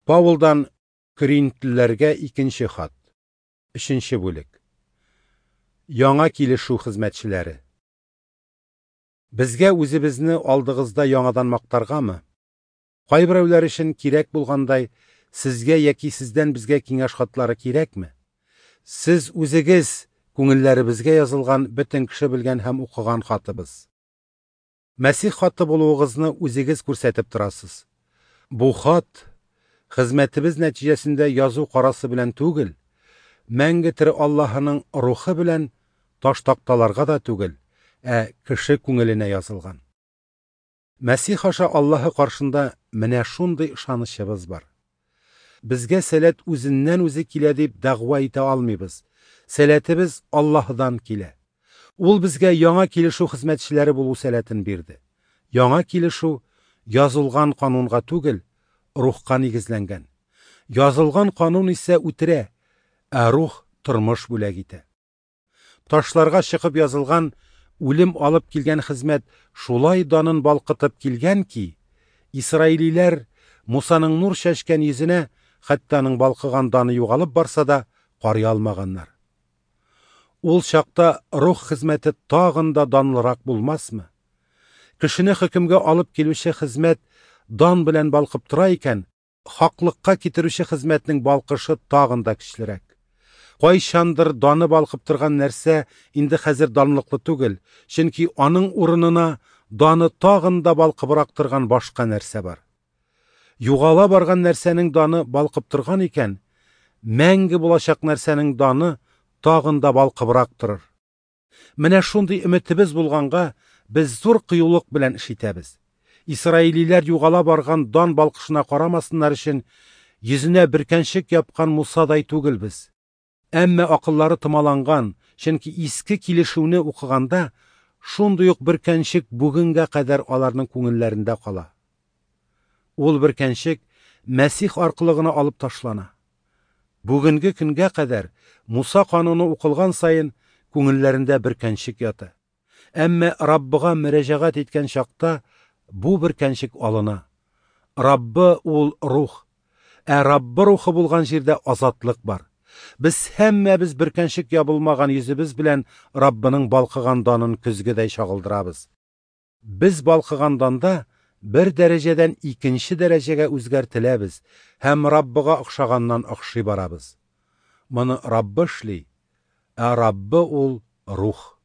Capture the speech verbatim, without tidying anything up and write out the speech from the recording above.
Паулдан Коринфлеләргә икенче хат. Өченче бүлек. Яңа килешү хезмәтчеләре. Безгә үзебезне алдыгызда яңадан мактаргамы? Кайберәүләр өчен кирәк булгандай, сезгә яки сездән безгә киңәш хатлары кирәкме? Сез үзегез күңелләребезгә язылган бөтен кеше белгән һәм укыган хатыбыз. Мәсих хаты булуыгызны үзегез күрсәтеп торасыз. Бу хат хезмәтебез нәтиҗәсендә язу карасы белән түгел, мәңге тере Аллаһының рухы белән таш такталарга да түгел, ә кеше күңеленә язылган. Мәсих аша Аллаһы каршында менә шундый ышанычыбыз бар. Безгә сәләт үзеннән үзе килә дип дәгъва итә алмыйбыз. Сәләтебез Аллаһыдан килә. Ул безгә яңа килешү хезмәтчеләре булу сәләтен бирде. Яңа килешү язылган канунга түгел, рухка нигезләнгән. Язылган канун исә үтерә, ә рух тормыш бүләк итә. Ташларга чыгып язылган үлем алып килгән хезмәт шулай данын балкытып килгән ки, исраилиләр Мусаның нур чәчкән йөзенә, хәтта аның балкыган даны югалып барса да, карый алмаганнар. Ул чакта рух хезмәте тагын да данлырак булмасмы? Кешене хөкемгә алып килүче хезмәт дан белән балкып тора икән, хаклыкка китерүче хезмәтнең балкышы тагын да көчлерәк. Кайчандыр даны балкып торган нәрсә инде хәзер данлыклы түгел, чөнки аның урынына даны тагын да балкыбрак торган башка нәрсә бар. Югала барган нәрсәнең даны балкып торган икән, мәңге булачак нәрсәнең даны тагын да балкыбрак торыр. Менә шундый өметебез булганга, без зур кыюлык белән эш итәбез. Исраилиләр югала барган дан балкышына карамасыннар өчен йөзенә бөркәнчек япкан Мусадай түгелбез. Әмма акыллары томаланган, чөнки иске килешүне укыганда шундый ук бөркәнчек бүгенгә кадәр аларның күңелләрендә кала. Ул бөркәнчек Мәсих аркылы гына алып ташлана. Бүгенге көнгә кадәр Муса кануны укылган саен күңелләрендә бөркәнчек ята. Әмма Раббыга мөрәҗәгать иткән чакта бу бөркәнчек алына. Раббы ул рух, ә Раббы рухы булган җирдә азатлык бар. Без һәммәбез бөркәнчек ябылмаган йөзебез белән Раббының балкыган данын көзгедәй чагылдырабыз. Без балкыган данда бер дәрәҗәдән икенче дәрәҗәгә үзгәртеләбез һәм Раббыга охшаганнан охшый барабыз. Моны Раббы эшли, ә Раббы ул рух.